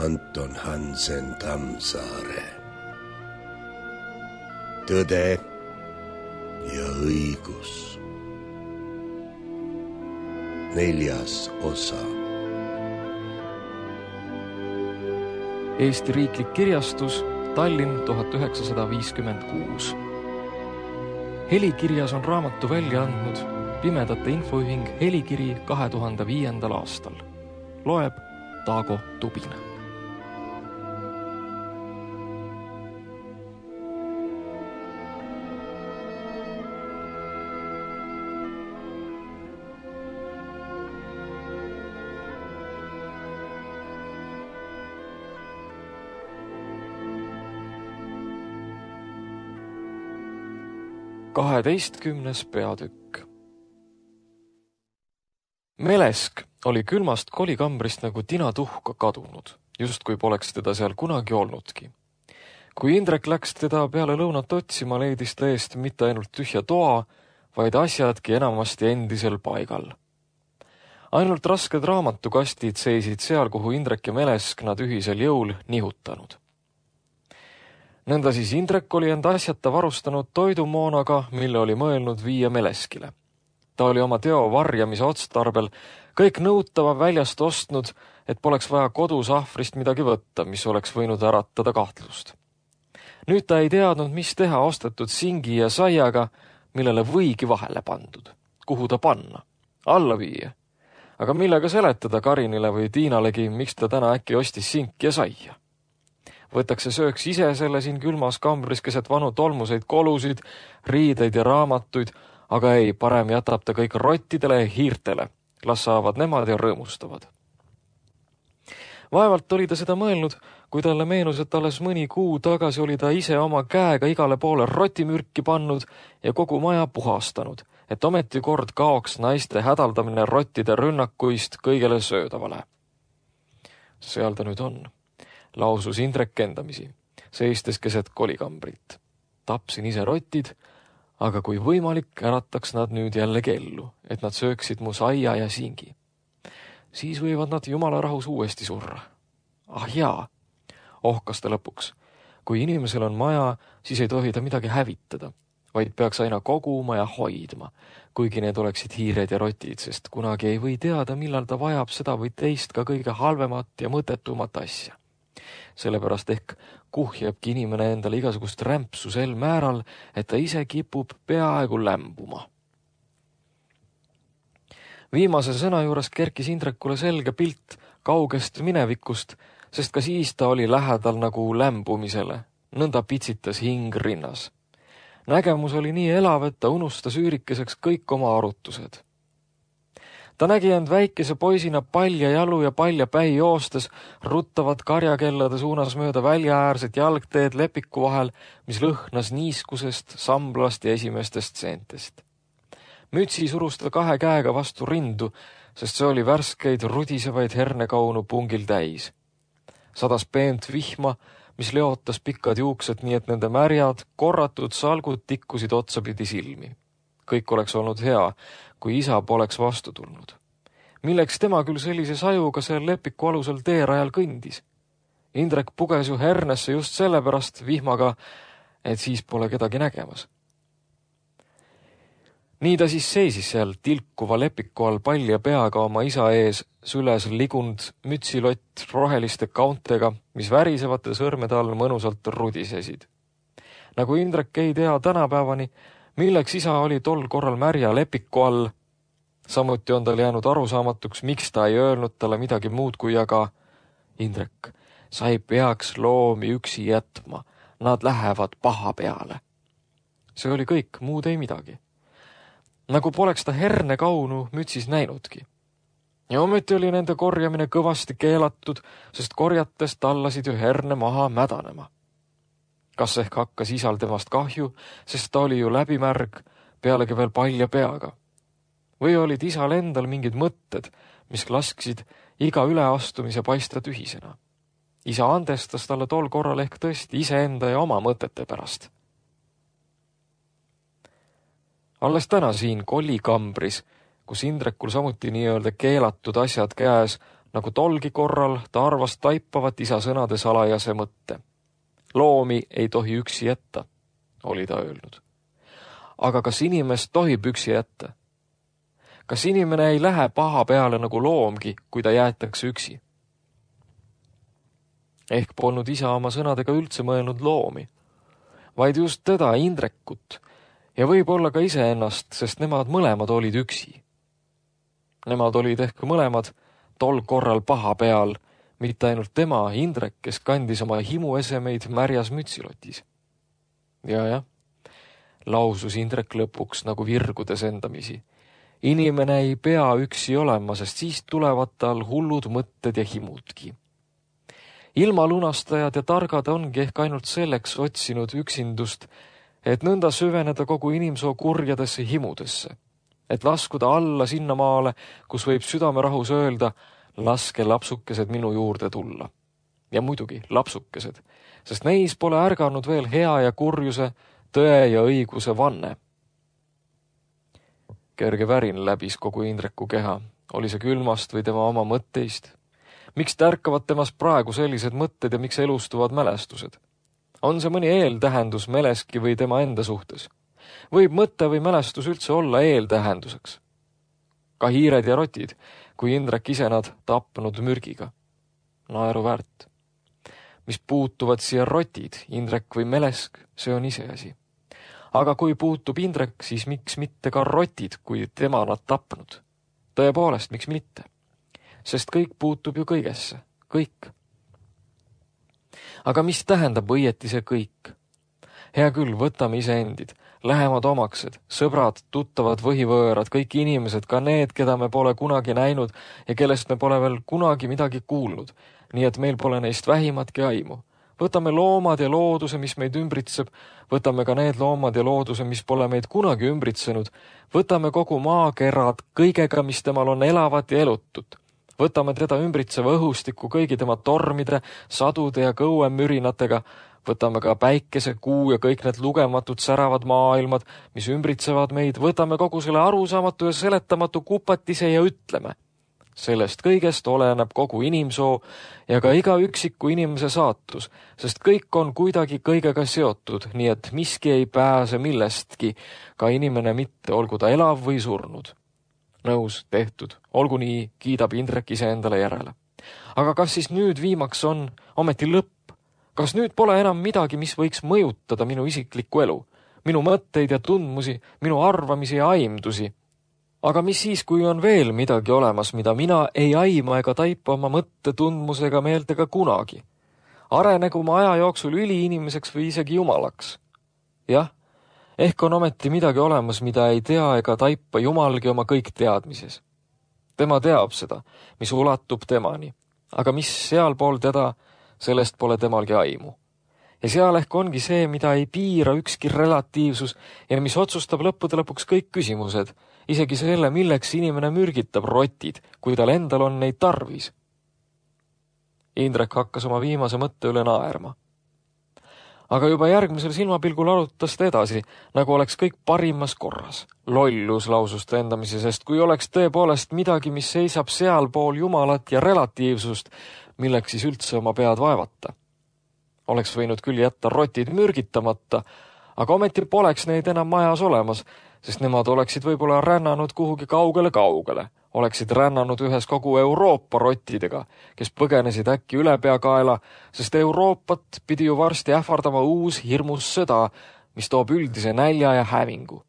Anton Hansen Tammsaare. Tõde ja õigus. 4. osa. Eesti Riiklik Kirjastus, Tallinn 1956. Helikirjas on raamatu välja andnud Pimedate Infoühing Helikiri 2005. aastal. Loeb Taago Tubin. Kaheteistkümnes peatükk. Melesk oli külmast kolikambrist nagu tinatuhka kadunud, justkui poleks teda seal kunagi olnudki. Kui Indrek läks teda peale lõunat otsima, leidis ta eest mitte ainult tühja toa, vaid asjadki enamasti endisel paigal. Ainult rasked raamatukastid seisid seal, kuhu Indrek ja Melesk nad ühisel jõul nihutanud. Nõnda siis Indrek oli enda asjata varustanud toidumoonaga, mille oli mõelnud viia Meleskile. Ta oli oma teo varjamise otstarbel kõik nõutava väljast ostnud, et poleks vaja kodus ahvrist midagi võtta, mis oleks võinud äratada kahtlust. Nüüd ta ei teadnud, mis teha ostetud singi ja saiaga, millele võigi vahele pandud. Kuhu ta panna? Alla viia. Aga millega seletada Karinile või Tiinalegi, miks ta täna äkki ostis sinki ja saia? Võtaks ja sööks ise selle siin külmas kambris keset vanu tolmuseid kolusid, riideid ja raamatuid, aga ei, parem jätab ta kõik rottidele ja hiirtele. Las saavad nemad ja rõõmustavad. Vaevalt oli ta seda mõelnud, kui talle meenus, et alles mõni kuu tagasi oli ta ise oma käega igale poole rotimürki pannud ja kogu maja puhastanud, et ometi kord kaoks naiste hädaldamine rottide rünnakuist kõigele söödavale. Seal ta nüüd on. Lausus Indrek endamisi, seistes keset kolikambrit. Tapsin ise rotid, aga kui võimalik, ärataks nad nüüd jälle kellu, et nad sööksid mu saia ja singi. Siis võivad nad jumala rahus uuesti surra. Ah jaa, ohkas ta lõpuks. Kui inimesel on maja, siis ei tohi ta midagi hävitada, vaid peaks aina koguma ja hoidma, kuigi need oleksid hiired ja rotid, sest kunagi ei või teada, millal ta vajab seda või teist ka kõige halvemat ja mõttetumat asja. Sellepärast ehk kuhjabki inimene endale igasugust rämpsu sel määral, et ta ise kipub peaaegu lämbuma. Viimase sõna juures kerkis Indrekule selge pilt kaugest minevikust, sest ka siis ta oli lähedal nagu lämbumisele, nõnda pitsitas hing rinnas. Nägemus oli nii elav, et ta unustas üürikeseks kõik oma arutused. Ta nägi end väikese poisina palja jalu ja palja päi joostes, ruttavad karjakellade suunas mööda väljaäärset jalgteed lepiku vahel, mis lõhnas niiskusest, samblast ja esimestest seentest. Mütsi surus ta 2 käega vastu rindu, sest see oli värskeid rudisevaid hernekaunu pungil täis. Sadas peent vihma, mis leotas pikkad juuksed, nii et nende märjad, korratud salgud tikkusid otsapidi silmi. Kõik oleks olnud hea, kui isa poleks vastu tulnud. Milleks tema küll sellise sajuga seal lepiku alusel teerajal kõndis? Indrek puges ju hernesse just sellepärast vihmaga, et siis pole kedagi nägemas. Nii ta siis seisis seal tilkuva lepiku all palja peaga oma isa ees, süles ligund mütsilott roheliste kauntega, mis värisevate sõrmede all mõnusalt rudisesid. Nagu Indrek ei tea tänapäevani, milleks isa oli tol korral märja lepiku all. Samuti on tal jäänud arusaamatuks, miks ta ei öelnud talle midagi muud kui aga Indrek, sa ei peaks loomi üksi jätma, nad lähevad paha peale. See oli kõik, muud ei midagi. Nagu poleks ta hernekaunu mütsis näinudki. Ja ometi oli nende korjamine kõvasti keelatud, sest korjates tallasid ju herne maha mädanema. Kas ehk hakkas isal temast kahju, sest ta oli ju läbimärg, pealegi veel palja peaga. Või olid isal endal mingid mõtted, mis lasksid iga üleastumise paista tühisena. Isa andestas talle tol korral ehk tõesti iseenda ja oma mõtete pärast. Alles täna siin kolikambris, kus Indrekul samuti nii-öelda keelatud asjad käes, nagu tolgi korral ta arvas taipavat isa sõnade salajase mõtte. Loomi ei tohi üksi jätta, oli ta öelnud. Aga kas inimest tohib üksi jätta? Kas inimene ei lähe paha peale nagu loomgi, kui ta jäetakse üksi? Ehk polnud isa oma sõnadega üldse mõelnud loomi, vaid just teda, Indrekut, ja võib-olla ka iseennast, sest nemad mõlemad olid üksi. Nemad olid ehk mõlemad tol korral paha peal, mitte ainult tema, Indrek, kes kandis oma himuesemeid märjas mütsilotis. Ja, lausus Indrek lõpuks nagu virgudes endamisi. Inimene ei pea üksi olema, sest siis tulevad tal hullud mõtted ja himudki. Ilmalunastajad ja targad ongi ehk ainult selleks otsinud üksindust, et nõnda süveneda kogu inimsoo kurjadesse himudesse, et laskuda alla sinna maale, kus võib südamerahus öelda, laske lapsukesed minu juurde tulla. Ja muidugi lapsukesed, sest neis pole ärganud veel hea ja kurjuse, tõe ja õiguse vanne. Kerge värin läbis kogu Indreku keha, oli see külmast või tema oma mõtteist. Miks tärkavad temas praegu sellised mõtted ja miks elustuvad mälestused? On see mõni eeltähendus Meleski või tema enda suhtes? Võib mõte või mälestus üldse olla eeltähenduseks? Ka hiired ja rotid, kui Indrek ise nad tapnud mürgiga. Naeruväärt. Mis puutuvad siia rotid, Indrek või Melesk, see on iseasi. Aga kui puutub Indrek, siis miks mitte ka rotid, kui tema nad tapnud? Tõepoolest, miks mitte? Sest kõik puutub ju kõigesse, kõik. Aga mis tähendab õieti see kõik? Hea küll, võtame iseendid, lähemad omaksed, sõbrad, tuttavad, võhivõõrad, kõik inimesed, ka need, keda me pole kunagi näinud ja kellest me pole veel kunagi midagi kuulnud, nii et meil pole neist vähimatki aimu. Võtame loomad ja looduse, mis meid ümbritseb, võtame ka need loomad ja looduse, mis pole meid kunagi ümbritsenud, võtame kogu maakerad kõigega, mis temal on elavat ja elutut. Võtame teda ümbritseva õhustiku kõigi tema tormide, sadude ja kõuemürinatega, võtame ka päikese, kuu ja kõik need lugematud säravad maailmad, mis ümbritsevad meid, võtame kogu selle arusaamatu ja seletamatu kupatise ja ütleme. Sellest kõigest oleneb kogu inimsoo ja ka iga üksiku inimese saatus, sest kõik on kuidagi kõigega seotud, nii et miski ei pääse millestki, ka inimene mitte, olgu ta elav või surnud. Nõus, tehtud, olgu nii, kiidab Indrek ise endale järele. Aga kas siis nüüd viimaks on ometi lõpp? Kas nüüd pole enam midagi, mis võiks mõjutada minu isiklikku elu, minu mõtteid ja tundmusi, minu arvamisi ja aimdusi? Aga mis siis, kui on veel midagi olemas, mida mina ei aima ega taipa oma mõtte, tundmusega, meeltega kunagi? Arenegu ma aja jooksul üliinimeseks või isegi jumalaks? Jah, ehk on ometi midagi olemas, mida ei tea ega taipa jumalgi oma kõik teadmises. Tema teab seda, mis ulatub temani, aga mis sealpool teda, sellest pole temalgi aimu. Ja seal ehk ongi see, mida ei piira ükski relatiivsus ja mis otsustab lõppude lõpuks kõik küsimused, isegi selle, milleks inimene mürgitab rotid, kui tal endal on neid tarvis. Indrek hakkas oma viimase mõtte üle naerma. Aga juba järgmisel silmapilgul arutas ta edasi, nagu oleks kõik parimas korras. Lollus, lausus ta endamisi, sest kui oleks tõepoolest midagi, mis seisab sealpool jumalat ja relatiivsust, milleks siis üldse oma pead vaevata. Oleks võinud küll jätta rotid mürgitamata, aga ometi poleks neid enam majas olemas, sest nemad oleksid võib-olla rännanud kuhugi kaugele, oleksid rännanud ühes kogu Euroopa rottidega, kes põgenesid äkki ülepeakaela, sest Euroopat pidi ju varsti ähvardama uus hirmus sõda, mis toob üldise nälja ja hävingu.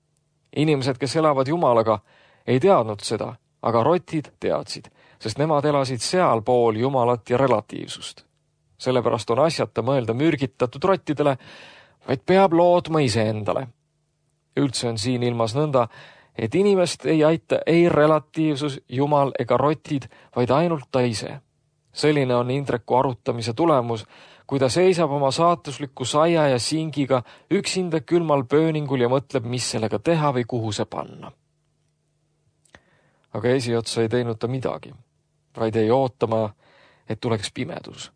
Inimesed, kes elavad jumalaga, ei teadnud seda, aga rotid teadsid, sest nemad elasid sealpool jumalat ja relatiivsust. Sellepärast on asjata mõelda mürgitatud rottidele, vaid peab loodma iseendale. Üldse on siin ilmas nõnda, et inimest ei aita ei relatiivsus, jumal ega rotid, vaid ainult ta ise. Selline on Indreku arutamise tulemus, kui ta seisab oma saatusliku saia ja singiga üksinda külmal pööningul ja mõtleb, mis sellega teha või kuhu see panna. Aga esiotsa ei teinud ta midagi, vaid ei ootama, et tuleks pimedus.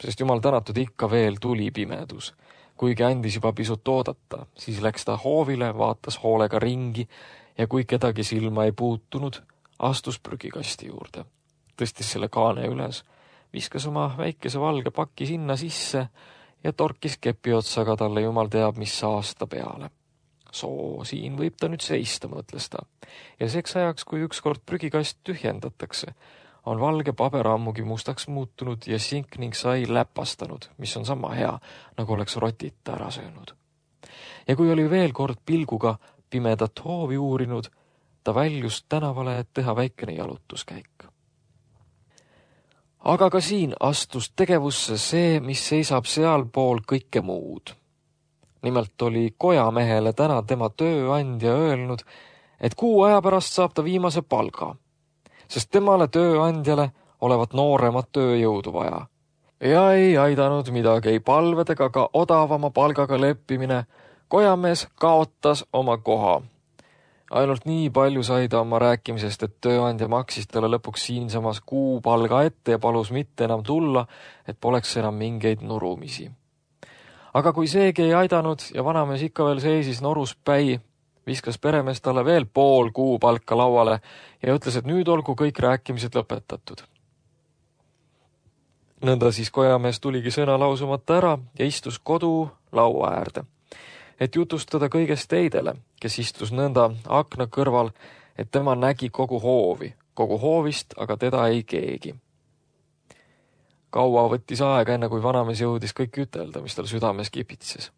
Sest jumal tänatud ikka veel tuli pimedus. Kuigi andis juba pisut oodata, siis läks ta hoovile, vaatas hoolega ringi ja kui kedagi silma ei puutunud, astus prügikasti juurde. tõstis selle kaane üles, viskas oma väikese valge paki sinna sisse ja torkis kepi otsaga talle jumal teab mis aasta peale. Soo, siin võib ta nüüd seista, mõtles ta. Ja seks ajaks, kui ükskord prügikast tühjendatakse, on valge paber ammugi mustaks muutunud ja sink ning sai läpastanud, mis on sama hea, nagu oleks rotit ära söönud. Ja kui oli veel kord pilguga pimedat hoovi uurinud, ta väljus tänavale, et teha väikene jalutuskäik. Aga ka siin astus tegevusse see, mis seisab sealpool kõike muud. Nimelt oli kojamehele täna tema tööandja öelnud, et kuu aja pärast saab ta viimase palga, sest temale tööandjale olevat nooremat tööjõudu vaja. Ja ei aidanud midagi, ei palvedega ka odavama palgaga leppimine. Kojamees kaotas oma koha. Ainult nii palju sai ta oma rääkimisest, et tööandja maksis talle lõpuks siinsamas kuu palga ette ja palus mitte enam tulla, et poleks enam mingeid nurumisi. Aga kui seegi ei aidanud ja vanamees ikka veel seisis norus päi, viskas peremees talle veel pool kuu palka lauale ja ütles, et nüüd olgu kõik rääkimised lõpetatud. Nõnda siis kojamees tuligi sõna lausumata ära ja istus kodu laua äärde, et jutustada kõigest teidele, kes istus nõnda akna kõrval, et tema nägi kogu hoovist, aga teda ei keegi. Kaua võttis aega, enne kui vanamees jõudis kõik ütelda, mis tal südames kipitses.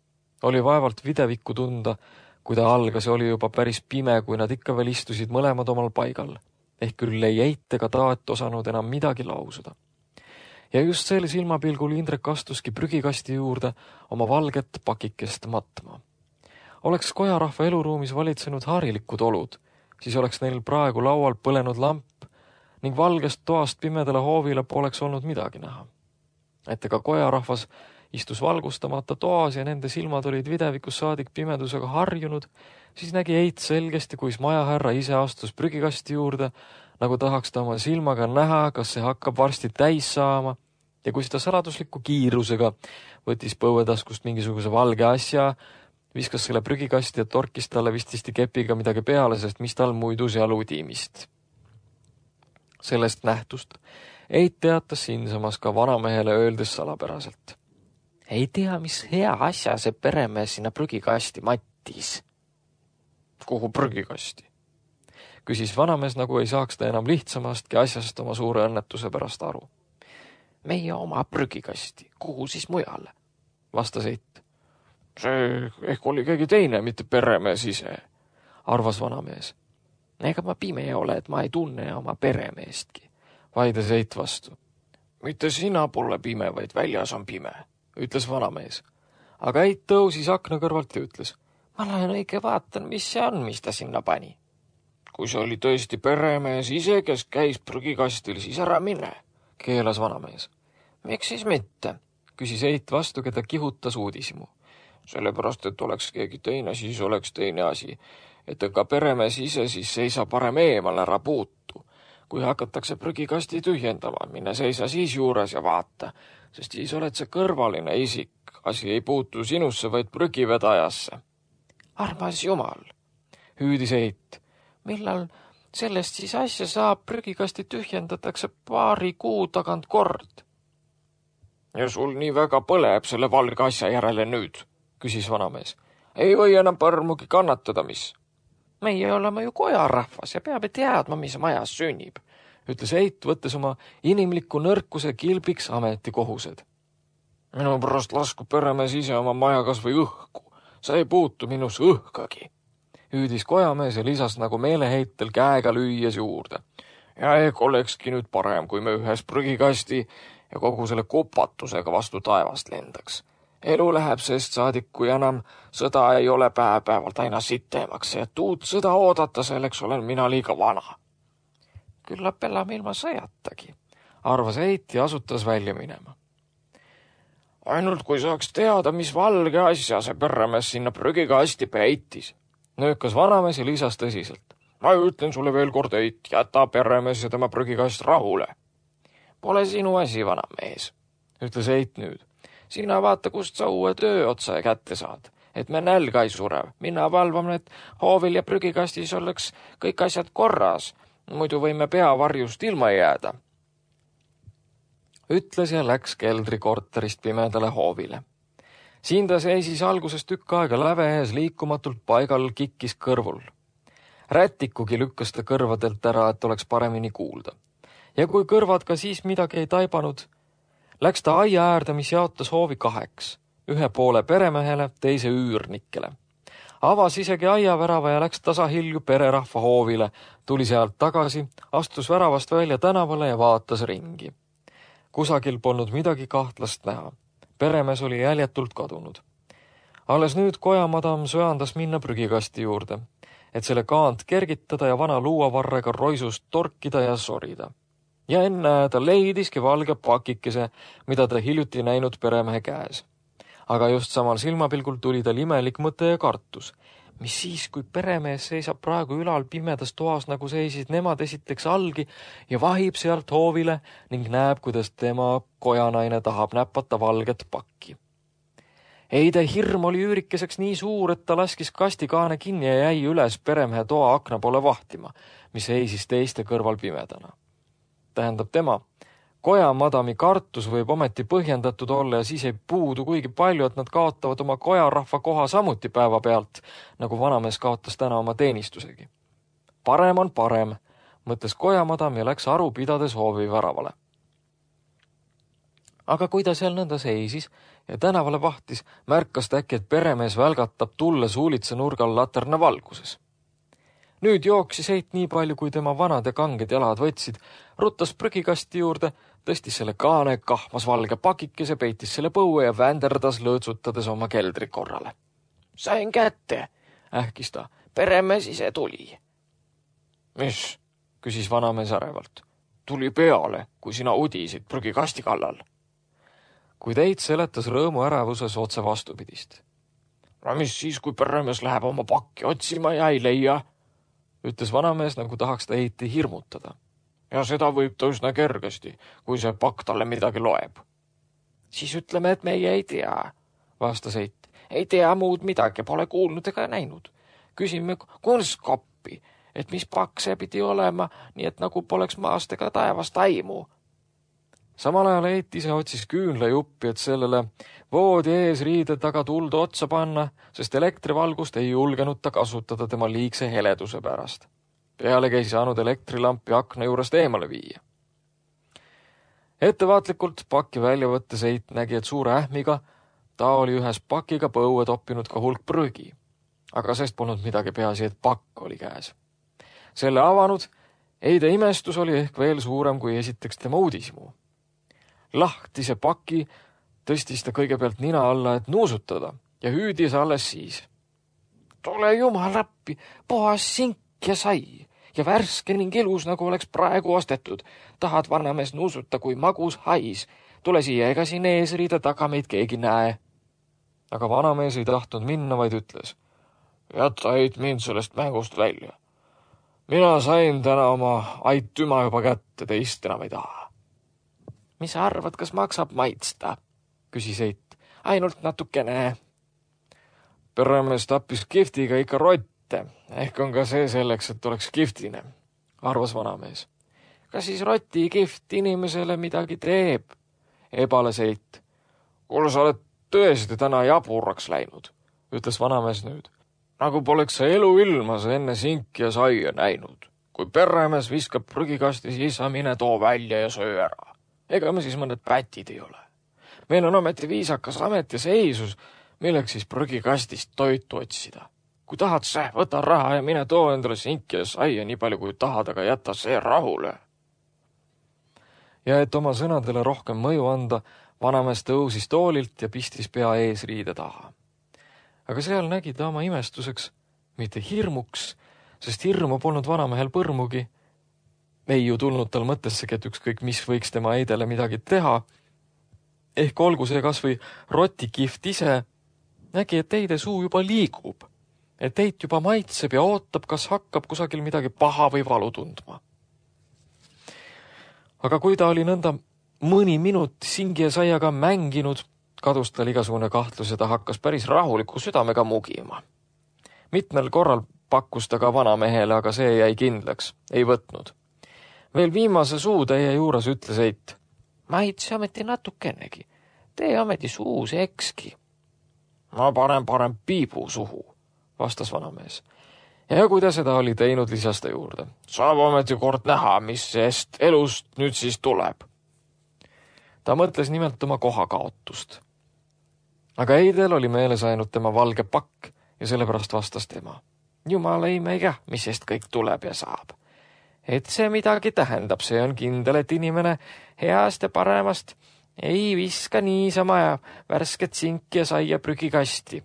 Oli vaevalt videvikku tunda, kui ta algas ja oli juba päris pime, kui nad ikka veel istusid mõlemad omal paigal. Ehk küll ei eit ega taat osanud enam midagi lausuda. Ja just sel silmapilgul Indrek astuski prügikasti juurde oma valget pakikest matma. Oleks kojarahva eluruumis valitsenud harilikud olud, siis oleks neil praegu laual põlenud lamp ning valgest toast pimedale hoovile poleks olnud midagi näha. Et ega kojarahvas istus valgustamata toas ja nende silmad olid videvikus saadik pimedusega harjunud, siis nägi Eit selgesti, kuis majahärra ise astus prügikasti juurde, nagu tahaks ta oma silmaga näha, kas see hakkab varsti täis saama, ja kuis ta saladusliku kiirusega võttis põuetaskust mingisuguse valge asja, viskas selle prügikasti ja torkis talle vististi kepiga midagi peale, sest mis tal muidu seal udimist. Sellest nähtust Eit teatas siinsamas ka vanamehele öeldes salapäraselt. Ei tea, mis hea asja see peremees sinna prügikasti mattis. Kuhu prügikasti? Küsis vanamees, nagu ei saaks ta enam lihtsamastki asjast oma suure õnnetuse pärast aru. Meie oma prügikasti, kuhu siis mujale? Vastas Eit. See ehk oli keegi teine, mitte peremees ise, arvas vanamees. Ega ma pime ole, et ma ei tunne oma peremeestki, vaides Eit vastu. Mitte sina pole pime, vaid väljas on pime, ütles vanamees. Aga Eit tõusis akna kõrvalt ja ütles, ma lähen õige vaatan, mis see on, mis ta sinna pani. Kui see oli tõesti peremees ise, kes käis prügikastil, siis ära mine, keelas vanamees. Miks siis mitte, küsis Eit vastu, keda kihutas uudishimu. Sellepärast, et oleks keegi teine, siis oleks teine asi. Et ega peremees ise siis seisa parem eemal, ära puutu. Kui hakatakse prügikasti tühjendama, minne seisa siis juures ja vaata, sest siis oled see kõrvaline isik. Asi ei puutu sinusse, vaid prügivedajasse. Armas jumal, hüüdis Eit. Millal sellest siis asja saab, prügikasti tühjendatakse paari kuu tagant kord? Ja sul nii väga põleb selle valge asja järele nüüd, küsis vanamees. Ei või enam põrmugi kannatada, mis? Meie oleme ju kojarahvas ja peame teadma, mis majas sünnib, ütles Eit, võttes oma inimliku nõrkuse kilbiks ametikohused. Minu pärast lasku peremees ise oma maja kas või õhku. Sa ei puutu minus õhkagi, hüüdis kojamees ja lisas nagu meeleheitel käega lüües juurde. Ja ehk olekski nüüd parem, kui me ühes prügikasti ja kogu selle kupatusega vastu taevast lendaks. Elu läheb sest saadik, kui enam sõda ei ole päev-päevalt aina sittemaks ja uut sõda oodata, selleks olen mina liiga vana. Küllap elame ilma sõjatagi, arvas Eit ja asutas välja minema. Ainult kui saaks teada, mis valge asja see peremees sinna prügikasti peitis, nöökas vanamees ja lisas tõsiselt. Ma ütlen sulle veel kord, Eit, jäta peremees ja tema prügikast rahule. Pole sinu asi, vanamees, ütles Eit nüüd. Sina vaata, kust sa uue töö otsa kätte saad, et me nälga ei surev. Minna valvame, et hoovil ja prügikastis oleks kõik asjad korras, muidu võime peavarjust ilma jääda. ütles ja läks keldrikorterist pimedale hoovile. Siin ta seisis alguses tükk aega läve ees liikumatult paigal, kikkis kõrvul. Rätikugi lükkas ta kõrvadelt ära, et oleks paremini kuulda. Ja kui kõrvad ka siis midagi ei taibanud, läks ta aia äärde, mis jaotas hoovi 2, ühe poole peremehele, teise üürnikele. Avas isegi aiavärava ja läks tasahilju pererahva hoovile, tuli sealt tagasi, astus väravast välja tänavale ja vaatas ringi. Kusagil polnud midagi kahtlast näha. Peremees oli jäljetult kadunud. Alles nüüd kojamadam söandas minna prügikasti juurde, et selle kaant kergitada ja vana luuavarrega roisust torkida ja sorida. Ja enne ta leidiski valge pakikese, mida ta hiljuti näinud peremehe käes. Aga just samal silmapilgul tuli tal imelik mõte ja kartus. Mis siis, kui peremees seisab praegu ülal pimedas toas, nagu seisid nemad esiteks algi ja vahib sealt hoovile ning näeb, kuidas tema kojanaine tahab näpata valget pakki. Eide hirm oli üürikeseks nii suur, et ta laskis kastikaane kinni ja jäi üles peremehe toa akna poole vahtima, mis seisis teiste kõrval pimedana. Tähendab tema, kojamadami kartus võib ometi põhjendatud olla ja siis ei puudu kuigi palju, et nad kaotavad oma kojarahva koha samuti päeva pealt, nagu vanamees kaotas täna oma teenistusegi. Parem on parem, mõtles kojamadam ja läks aru pidades hoovi väravale. Aga kui ta seal nõnda seisis ja tänavale vahtis, märkas ta äkki, et peremees välgatab tulles huulitse nurgal laterna valguses. Nüüd jooksis Eit nii palju, kui tema vanad ja kanged jalad võtsid, ruttas prügikasti juurde, tõstis selle kaane, kahmas valge pakikese, peitis selle põue ja vänderdas lõõtsutades oma keldri korrale. Sain kätte, ähkis ta, peremees ise tuli. Mis? Küsis vanamees ärevalt. Tuli peale, kui sina udisid prügikasti kallal. Kuid Eit seletas rõõmu ärevuses otse vastupidist. No mis siis, kui peremees läheb oma pakki otsima ja ei leia? Ütles vanamees, nagu tahaks ta Eiti hirmutada. Ja seda võib ta üsna kergesti, kui see pakk talle midagi loeb. Siis ütleme, et meie ei tea, vastas Eit. Ei tea muud midagi, pole kuulnud ega näinud. Küsime kunstkoppi, et mis pakk see pidi olema, nii et nagu poleks maast ega taevast aimu. Samal ajal Eit ise otsis küünlajuppi, et sellele voodi ees riide taga tuldu otsa panna, sest elektrivalgust ei julgenud ta kasutada tema liigse heleduse pärast. Pealegi ei saanud elektrilampi akna juurest eemale viia. Ettevaatlikult pakki välja võttes Eit nägi, et suure ähmiga ta oli ühes pakiga põue toppinud ka hulk prügi. Aga sest polnud midagi, peaasi, et pakk oli käes. Selle avanud Eide imestus oli ehk veel suurem kui esiteks tema uudishimu. Lahtise paki tõstis ta kõigepealt nina alla, et nuusutada ja hüüdis alles siis. Tule jumal appi, puhas sink ja sai ja värske ning ilus, nagu oleks praegu ostetud. Tahad vanamees nuusuta kui magus hais. Tule siia, ega siin eesriide taga meid keegi näe. Aga vanamees ei tahtnud minna, vaid ütles. Jäta Eit mind sellest mängust välja. Mina sain täna oma aitüma juba kätte, teist enam ei taha. Mis sa arvad, kas maksab maitsta? Küsis Eit. Ainult natukene. Peremees tappis kihvtiga ikka rotte. Ehk on ka see selleks, et oleks kihtine, arvas vanamees. Kas siis roti kiht inimesele midagi teeb? Ebales Eit. Kuule, sa oled tõesti täna jaburaks läinud, ütles vanamees nüüd. Nagu poleks sa elu ilmas enne sinki ja saia näinud. Kui peremees viskab prügikasti, siis sa mine too välja ja söö ära. Ega me siis mõned pätid ei ole. Meil on ometi viisakas amet ja seisus, milleks siis prügikastist toitu otsida. Kui tahad see, võta raha ja mine too endale sinki ja saia nii palju kui tahad, aga jäta see rahule. Ja et oma sõnadele rohkem mõju anda, vanamees tõusis toolilt ja pistis pea eesriide taha. Aga seal nägi ta oma imestuseks, mitte hirmuks, sest hirmu polnud vanamehel põrmugi. Ei ju tulnud tal mõttessegi, et ükskõik mis võiks tema Eidele midagi teha. Ehk olgu see kas või rotikiht ise, nägi, et Eide suu juba liigub, et Eit juba maitseb ja ootab, kas hakkab kusagil midagi paha või valu tundma. Aga kui ta oli nõnda mõni minut singi ja saiaga mänginud, kadus tal igasugune kahtlus ja ta hakkas päris rahuliku südamega mugima. Mitmel korral pakkus ta ka vanamehele, aga see jäi kindlaks, ei võtnud. Veel viimase suutäie juures ütles Eit. maitse ometi natukennegi. Tee ometi suus ekski. Ma parem piibu suhu, vastas vanamees. Ja kui ta seda oli teinud, lisas ta juurde. Saab ometi kord näha, mis sest elust nüüd siis tuleb. Ta mõtles nimelt oma kohakaotust. Aga Eidel oli meeles ainult tema valge pakk ja sellepärast vastas tema. Jumal ei meiga, mis sest kõik tuleb ja saab. Et see midagi tähendab, see on kindel, et inimene heast ja paremast ei viska niisama ja värsket sinki ja saia prügikasti.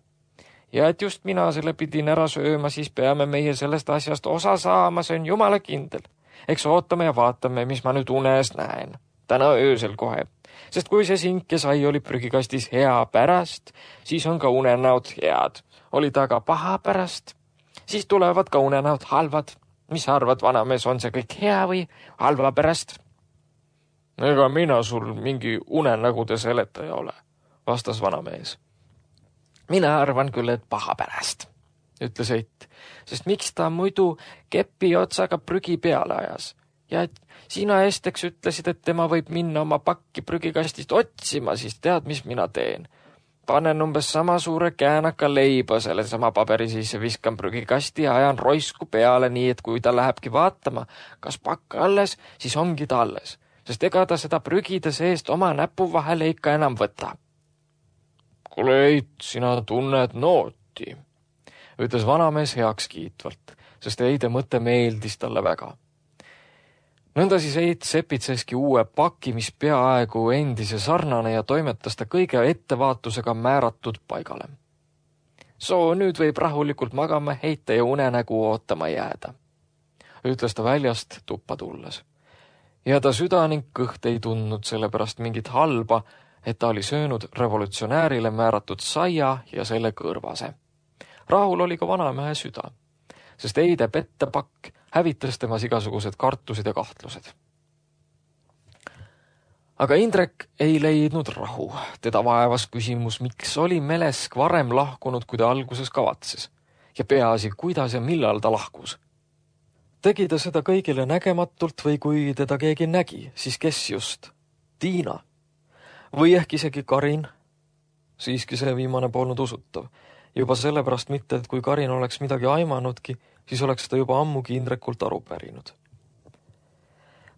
Ja et just mina selle pidin ära sööma, siis peame meie sellest asjast osa saama, see on jumala kindel. Eks ootame ja vaatame, mis ma nüüd unes näen. Täna öösel kohe. Sest kui see sink ja sai oli prügikastis hea pärast, siis on ka unenäod head. Oli ta aga paha pärast, siis tulevad ka unenäod halvad. Mis arvad, vanamees, on see kõik hea või halva pärast? Ega mina sul mingi unenägude seletaja ole, vastas vanamees. Mina arvan küll, et paha pärast, ütles Eit, sest miks ta muidu kepi otsaga prügi peale ajas. Ja et sina esteks ütlesid, et tema võib minna oma pakki prügikastist otsima, siis tead, mis mina teen. Panen umbes sama suure käänaka leiba selle sama paberi sisse, viskan prügikasti ja ajan roisku peale nii, et kui ta lähebki vaatama, kas pakk alles, siis ongi ta alles, sest ega ta seda prügide seest oma näpu vahele ikka enam võta. Kuule Eit, sina tunned nooti, ütles vanamees heaks kiitvalt, sest Eide mõte meeldis talle väga. Nõnda siis Eit sepitseski uue paki, mis peaaegu endise sarnane ja toimetas ta kõige ettevaatusega määratud paigale. Soo, nüüd võib rahulikult magama heita ja unenägu ootama jääda, ütles ta väljast tuppa tulles. Ja ta süda ning kõht ei tundnud sellepärast mingit halba, et ta oli söönud revolutsionäärile määratud saia ja selle kõrvase. Rahul oli ka vanamehe süda, sest Eide pettepakk hävitas temas igasugused kartused ja kahtlused. Aga Indrek ei leidnud rahu. Teda vaevas küsimus, miks oli Melesk varem lahkunud, kui ta alguses kavatses. Ja peaasi, kuidas ja millal ta lahkus. Tegi ta seda kõigile nägematult või kui teda keegi nägi, siis kes just? Tiina. Või ehk isegi Karin? Siiski see viimane polnud usutav. Juba sellepärast mitte, et kui Karin oleks midagi aimanudki, siis oleks ta juba ammugi Indrekult aru pärinud.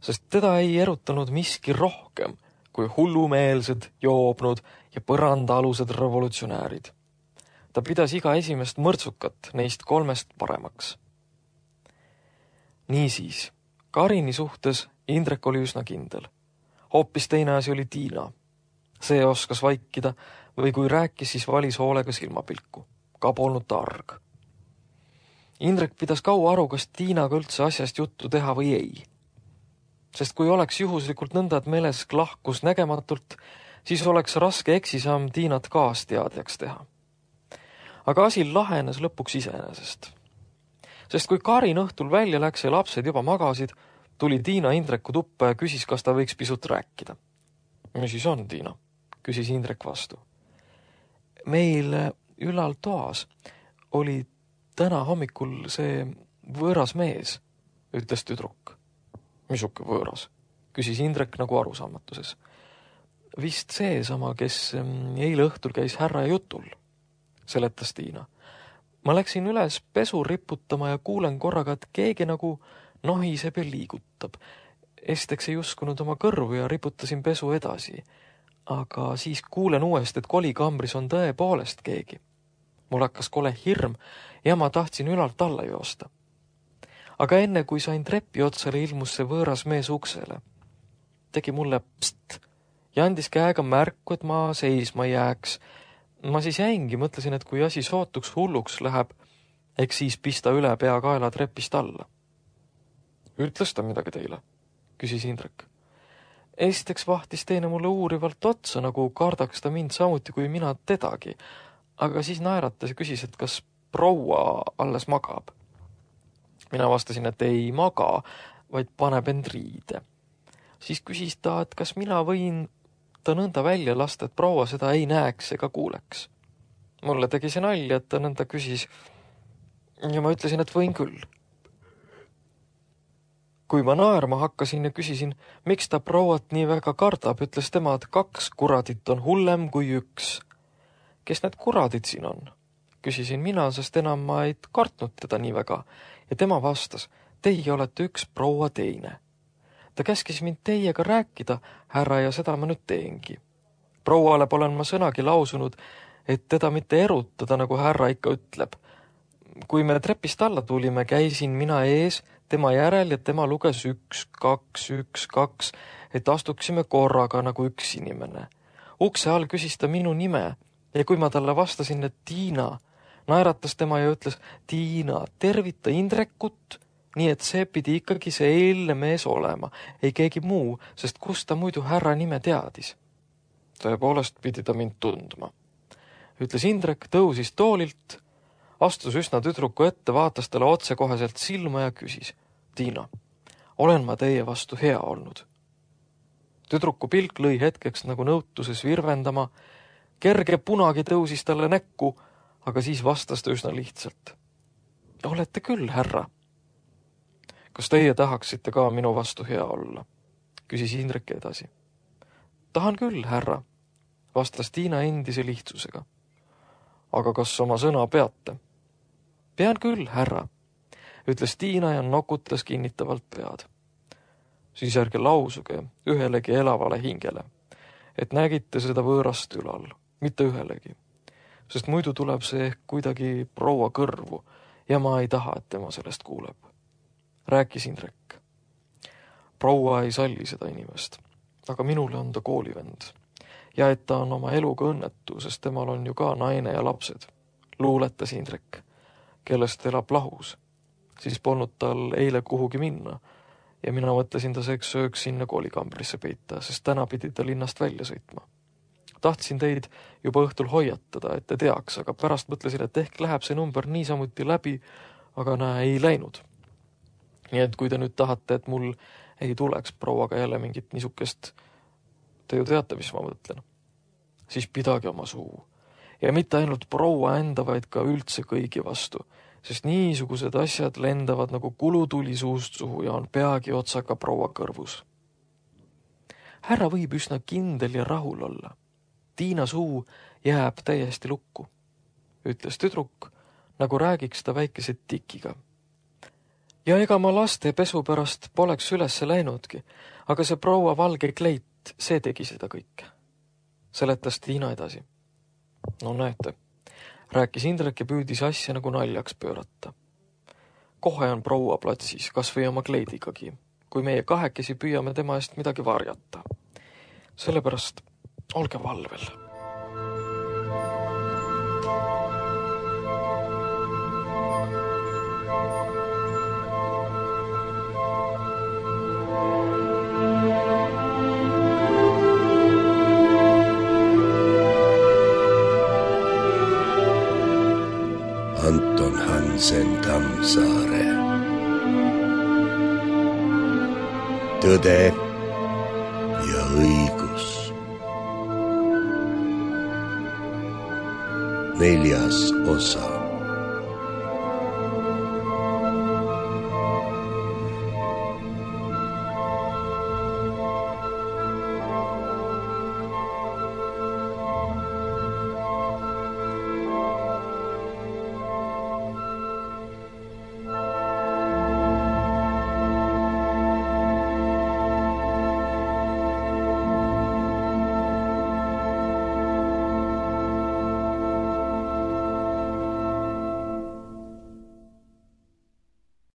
Sest teda ei erutanud miski rohkem kui hullumeelsed, joobnud ja põrandaalused revolutsionäärid. Ta pidas iga esimest mõrtsukat neist 3 paremaks. Niisiis, Karini suhtes Indrek oli üsna kindel. Hoopis teine asi oli Tiina. See oskas vaikida või kui rääkis, siis valis hoolega silmapilku. Ka polnud ta arg. Indrek pidas kaua aru, kas Tiinaga üldse asjast juttu teha või ei. Sest kui oleks juhuslikult nõnda, et Melesk lahkus nägematult, siis oleks raske eksisamm Tiinat kaasteadjaks teha. Aga asi lahenes lõpuks iseenesest. Sest kui Karin õhtul välja läks ja lapsed juba magasid, tuli Tiina Indreku tuppa ja küsis, kas ta võiks pisut rääkida. Mis siis on, Tiina? Küsis Indrek vastu. Meil ülal toas oli täna hommikul see võõras mees, ütles tüdruk. Misuke võõras? Küsis Indrek nagu arusaamatuses. Vist see sama, kes eile õhtul käis härra jutul, seletas Tiina. Ma läksin üles pesu riputama ja kuulen korraga, et keegi nagu nohiseb ja liigutab. Esteks ei uskunud oma kõrvu ja riputasin pesu edasi. Aga siis kuulen uuesti, et kolikambris on tõepoolest keegi. Mul hakkas kole hirm ja ma tahtsin ülalt alla joosta. Aga enne, kui sain trepi otsale, ilmus see võõras mees uksele. Tegi mulle pst ja andis käega märku, et ma seisma jääks. Ma siis jäingi, mõtlesin, et kui asi sootuks hulluks läheb, eks siis pista üle pea kaela trepist alla. Ütles ta midagi teile? Küsis Indrek. Esiteks vahtis teine mulle uurivalt otsa, nagu kardaks ta mind samuti kui mina tedagi. Aga siis naeratas ja küsis, et kas proua alles magab. Mina vastasin, et ei maga, vaid paneb end riide. Siis küsis ta, et kas mina võin ta nõnda välja lasta, et proua seda ei näeks ega kuuleks. Mulle tegi see nalja, et ta nõnda küsis ja ma ütlesin, et võin küll. Kui ma naerma hakkasin ja küsisin, miks ta prouat nii väga kardab, ütles tema, et 2 kuradit on hullem kui 1. Kes need kuradid siin on? Küsisin mina, sest enam ma ei kartnud teda nii väga ja tema vastas, teie olete 1 proua teine. Ta käskis mind teiega rääkida, härra, ja seda ma nüüd teengi. Prouale olen ma sõnagi lausunud, et teda mitte erutada, nagu härra ikka ütleb. Kui me trepist alla tulime, käisin mina ees, tema järel ja tema luges 1, 2, 1, 2, et astuksime korraga nagu 1 inimene. Ukse all küsis ta minu nime ja kui ma talle vastasin, et Tiina, naeratas tema ja ütles, Tiina, tervita Indrekut, nii et see pidi ikkagi see eilne mees olema, ei keegi muu, sest kust ta muidu härra nime teadis. Tõepoolest pidi ta mind tundma. Ütles Indrek, tõusis toolilt, astus üsna tüdruku ette, vaatas talle otsekoheselt silma ja küsis, Tiina, olen ma teie vastu hea olnud? Tüdruku pilk lõi hetkeks nagu nõutuses virvendama, kerge punagi tõusis talle näkku, aga siis vastas ta üsna lihtsalt. Olete küll, härra. Kas teie tahaksite ka minu vastu hea olla? Küsis Indrek edasi. Tahan küll, härra, vastas Tiina endise lihtsusega. Aga kas oma sõna peate? Pean küll, härra, ütles Tiina ja nokutas kinnitavalt pead. Siis ärge lausuge ühelegi elavale hingele, et nägite seda võõrast ülal, mitte ühelegi, sest muidu tuleb see ehk kuidagi proua kõrvu ja ma ei taha, et tema sellest kuuleb. Rääkis Indrek. Proua ei salli seda inimest, aga minule on ta koolivend ja et ta on oma eluga õnnetu, sest temal on ju ka naine ja lapsed, luuletas Indrek, kellest elab lahus. Siis polnud tal eile kuhugi minna ja mina mõtlesin ta sööks sinna koolikambrisse peita, sest täna pidi ta linnast välja sõitma. Tahtsin teid juba õhtul hoiatada, et te teaks, aga pärast mõtlesin, et ehk läheb see number niisamuti läbi, aga ei läinud. Nii et kui te nüüd tahate, et mul ei tuleks prouaga jälle mingit niisukest, te ju teate, mis ma mõtlen, siis pidage oma suu. Ja mitte ainult proua enda, vaid ka üldse kõigi vastu, sest niisugused asjad lendavad nagu kulutuli suust suhu ja on peagi otsaga proua kõrvus. Härra võib üsna kindel ja rahul olla. Tiina suu jääb täiesti lukku, ütles tüdruk, nagu räägiks ta väikese tikiga. Ja ega ma laste pesu pärast poleks ülesse läinudki, aga see proua valge kleit, see tegi seda kõike. Seletas Tiina edasi. No näete, rääkis Indrek ja püüdis asja nagu naljaks pöörata. Kohe on proua platsis, kas või oma kleidigagi, kui meie kahekesi püüame tema eest midagi varjata. Sellepärast olge valvel. Anton Hansen Tammsaare. Tõde ja õigus. 4. osa.